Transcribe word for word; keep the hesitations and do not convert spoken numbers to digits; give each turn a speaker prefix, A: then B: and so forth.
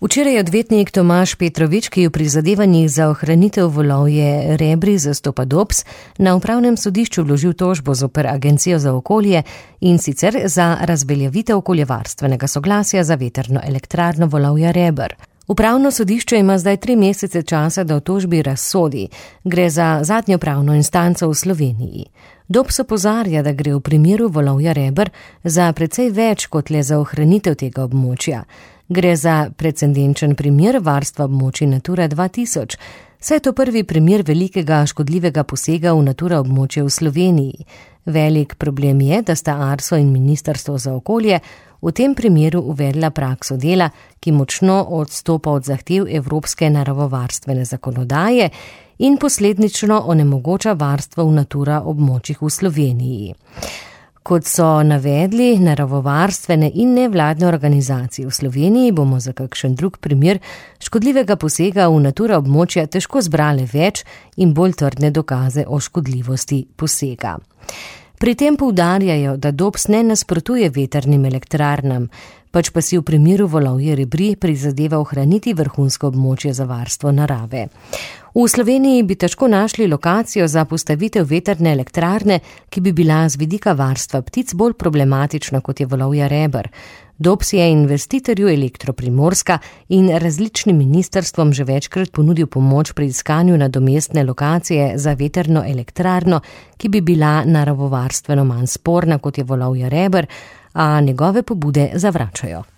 A: Včeraj je odvetnik Tomaž Petrovič, ki je v prizadevanjih za ohranitev Volovje Rebri zastopa Dops, na upravnem sodišču vložil tožbo zoper Agencijo za okolje in sicer za razveljavitev okoljevarstvenega soglasja za vetrno elektrarno Volovja Reber. Upravno sodišče ima zdaj tri mesece časa, da o tožbi razsodi. Gre za zadnjo pravno instanco v Sloveniji. Dops opozarja, da gre v primeru Volovja Reber za precej več kot le za ohranitev tega območja. Gre za precedenčen primer varstva območij Natura dva tisoč. Saj je to prvi primer velikega škodljivega posega v Natura območje v Sloveniji. Velik problem je, da sta Arso in Ministrstvo za okolje v tem primeru uvedla prakso dela, ki močno odstopa od zahtev evropske naravovarstvene zakonodaje in posledično onemogoča varstvo v Natura območjih v Sloveniji. Kot so navedli naravovarstvene in nevladne organizacije v Sloveniji, bomo za kakšen drug primer škodljivega posega v Natura območja težko zbrali več in bolj trdne dokaze o škodljivosti posega. Pri tem poudarjajo, da Dops ne nasprotuje vetrnim elektrarnam, pač pa si v primeru Volovje Rebri prizadeva ohraniti vrhunsko območje za varstvo narave. V Sloveniji bi težko našli lokacijo za postavitev vetrne elektrarne, ki bi bila z vidika varstva ptic bolj problematična kot je Volovja Reber. Dops je investitorju Elektro Primorska in različnim ministrstvom že večkrat ponudil pomoč pri iskanju nadomestne lokacije za vetrno elektrarno, ki bi bila naravovarstveno manj sporna kot je Volovja Reber, a njegove pobude zavračajo.